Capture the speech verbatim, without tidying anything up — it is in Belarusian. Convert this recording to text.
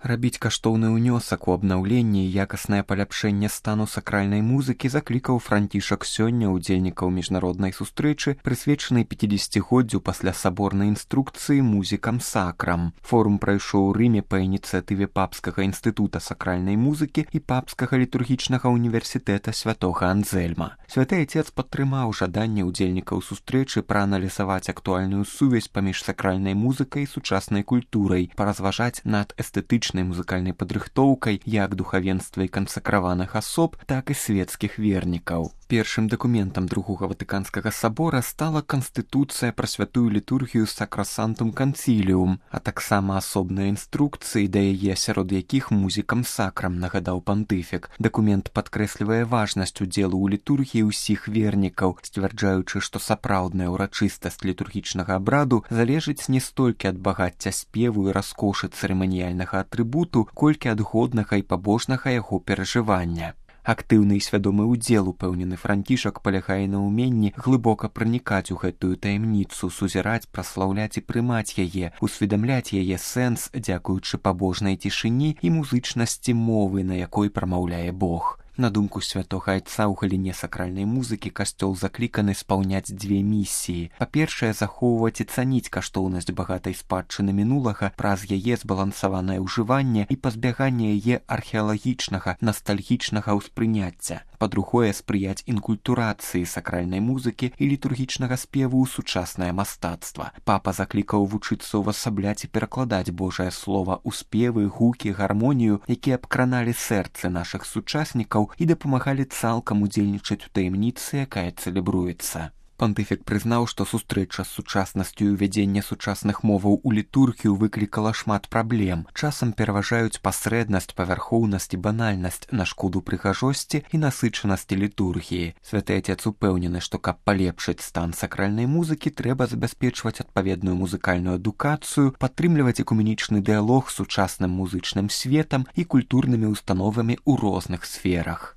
Рабіць каштоўны ўнёсак у абнаўленне і якаснае паляпшэнне стану сакральнай музыкі заклікаў Францішак сёння ўдзельнікаў міжнароднай сустрэчы, прысвечанай пяцідзесяцігоддзю пасля саборнай інструкцыі музыкам сакрам. Форум прайшоў у Рыме па ініцыятыве Папскага інстытута сакральнай музыкі і Папскага літургічнага універсітэта святога Анзельма. Святы Отец падтрымаў жаданне ўдзельнікаў сустрэчы прааналізаваць актуальную сувязь паміж сакральнай музыкай і сучаснай культурай, паразважаць над эстэтычнай музыкальнай падрыхтоўкай як духавенства і кансакраваных асоб, так і светскіх вернікаў. Першым дакументам другога Ватыканскага сабора стала Канстытуцыя пра святую літургію Сакрасантум Канціліум, а таксама асобныя інструкцыі да яе, сярод якіх музыкам сакрам, нагадаў пантыфік. Дакумент падкрэслівае важнасць удзелу ў літургіі ўсіх вернікаў, сцвярджаючы, што сапраўдная ўрачыстасць літургічнага абраду залежыць не столькі ад багацця спеву і раскошы цырыманіяльнага атрыбуту, колькі ад годнага і пабожнага яго перажывання. Актыўны і свядомы ўдзел, упэўнены Францішак, палягае на ўменні глыбока пранікаць у гэтую таямніцу, сузіраць, праслаўляць і прымаць яе, усведамляць яе сэнс, дзякуючы пабожнай цішыні і музычнасці мовы, на якой прамаўляе Бог. На думку святога Айца, у галіне сакральнай музыкі касцёл закліканы спаўняць дзве місіі. Па-першае, захоўваць і цаніць каштоўнасць багатай спадчыны мінулага праз яе збалансаванае ўжыванне і пазбяганне яе археалагічнага, настальгічнага ўспрыняцця. Па-другое, спрыяць інкультурацыі сакральнай музыкі і літургічнага спеву ў сучаснае мастацтва. Папа заклікаў вучыцца ўвасабляць і перакладаць Божае слова ў спевы, гукі, гармонію, якія абкраналі сэрцы нашых сучаснікаў і дапамагалі цалкам удзельнічаць у таямніцы, якая цэлебруецца. Пантыфік прызнаў, што сустрэча з сучаснасцю і ўвядзенне сучасных моваў у літургію выклікала шмат праблем. Часам пераважаюць пасрэднасць, павярхоўнасць і банальнасць на шкоду прыгажосці і насычанасці літургіі. Святы Отец упэўнены, што каб палепшыць стан сакральнай музыкі, трэба забяспечваць адпаведную музыкальную адукацыю, падтрымліваць экуменічны дыялог з сучасным музычным светам і культурнымі установамі ў розных сферах.